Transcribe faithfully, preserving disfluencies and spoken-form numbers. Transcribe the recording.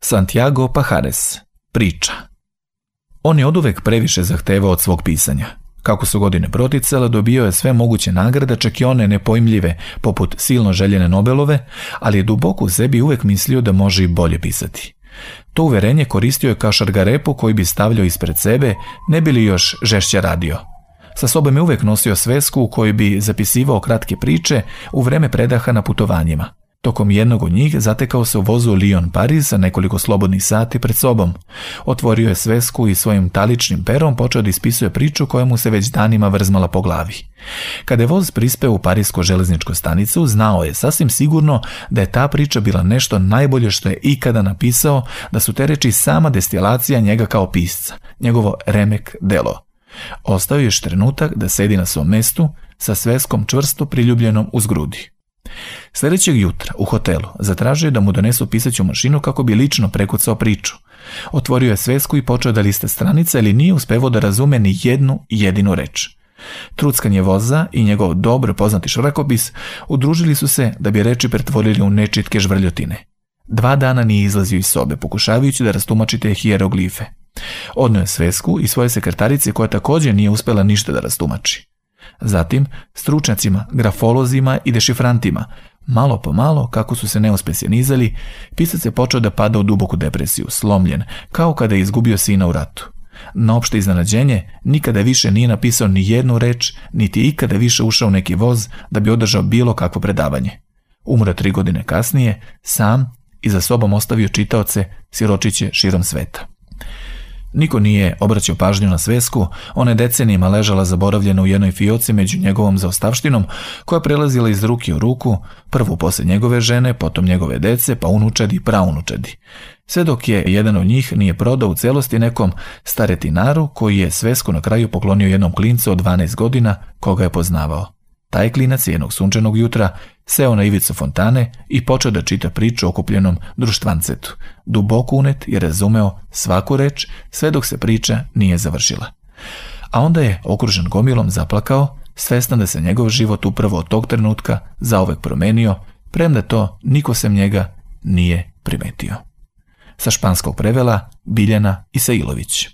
Santiago Pajares, priča. On je oduvek previše zahtevao od svog pisanja. Kako su godine proticale, dobio je sve moguće nagrade, čak i one nepojmljive, poput silno željene Nobelove, ali je duboko u sebi uvek mislio da može i bolje pisati. To uverenje koristio je kao šargarepu koji bi stavljao ispred sebe, ne bi li još žešće radio. Sa sobom je uvek nosio svesku u kojoj bi zapisivao kratke priče u vreme predaha na putovanjima. Tokom jednog od njih zatekao se u vozu Lyon-Pariz sa nekoliko slobodnih sati pred sobom. Otvorio je svesku i svojim taličnim perom počeo da ispisuje priču koja mu se već danima vrzmala po glavi. Kada je voz prispeo u parisku železničku stanicu, znao je sasvim sigurno da je ta priča bila nešto najbolje što je ikada napisao, da su te reči sama destilacija njega kao pisca, njegovo remek delo. Ostao je još trenutak da sedi na svom mestu sa sveskom čvrsto priljubljenom uz grudi. Sljedećeg jutra u hotelu zatražio je da mu donesu pisaću mašinu kako bi lično prekucao priču. Otvorio je svesku i počeo da lista stranica, ali nije uspevao da razume ni jednu jedinu reč. Truckanje voza i njegov dobro poznati šrakopis udružili su se da bi reči pretvorili u nečitke žvrljotine. Dva dana nije izlazio iz sobe, pokušavajući da rastumači te hijeroglife. Odneo je svesku i svoje sekretarice koja također nije uspela ništa da rastumači. Zatim, stručnjacima, grafolozima i dešifrantima, malo po malo, kako su se neuspjesi nizali, pisac je počeo da pada u duboku depresiju, slomljen, kao kada je izgubio sina u ratu. Na opšte iznenađenje, nikada više nije napisao ni jednu reč, niti ikada više ušao u neki voz da bi održao bilo kakvo predavanje. Umro tri godine kasnije, sam i za sobom ostavio čitaoce, siročiće širom sveta. Niko nije obraćao pažnju na svesku, ona je decenijima ležala zaboravljena u jednoj fioci među njegovom zaostavštinom, koja prelazila iz ruke u ruku, prvo posle njegove žene, potom njegove dece, pa unučadi i praunučadi. Sve dok je jedan od njih nije prodao u celosti nekom staretinaru koji je svesku na kraju poklonio jednom klincu od dvanaest godina koga je poznavao. Taj klinac jednog sunčanog jutra seo na ivicu fontane i počeo da čita priču o okupljenom društvancetu. Duboko unet je razumeo svaku reč sve dok se priča nije završila. A onda je, okružen gomilom, zaplakao, svestan da se njegov život upravo od tog trenutka zauvek promenio, premda to niko sem njega nije primetio. Sa španskog prevela Biljana Isailović.